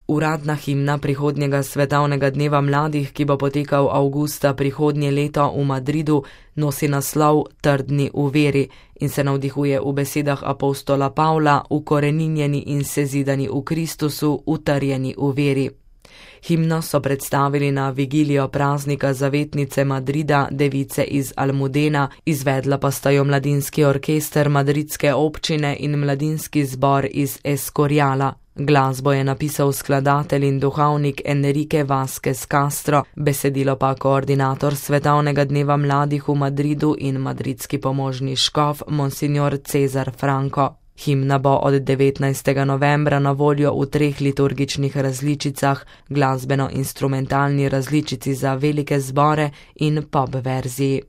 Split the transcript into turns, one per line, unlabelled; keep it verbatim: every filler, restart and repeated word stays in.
Uradna himna prihodnjega svetovnega dneva mladih, ki bo potekal avgusta prihodnje leto v Madridu, nosi naslov Trdni v veri in se navdihuje v besedah apostola Pavla: ukoreninjeni in sezidani v Kristusu, utrjeni v veri. Himno so predstavili na vigilijo praznika zavetnice Madrida, device iz Almudena, izvedla pa sta jo mladinski orkester madridske občine in mladinski zbor iz Escoriala. Glasbo je napisal skladatelj in duhovnik Enrique Vázquez Castro, besedilo pa koordinator svetovnega dneva mladih v Madridu in madridski pomožni škof Monsignor Cezar Franco. Himna bo od devetnajstega novembra na voljo v treh liturgičnih različicah, glasbeno-instrumentalni različici za velike zbore in pop verziji.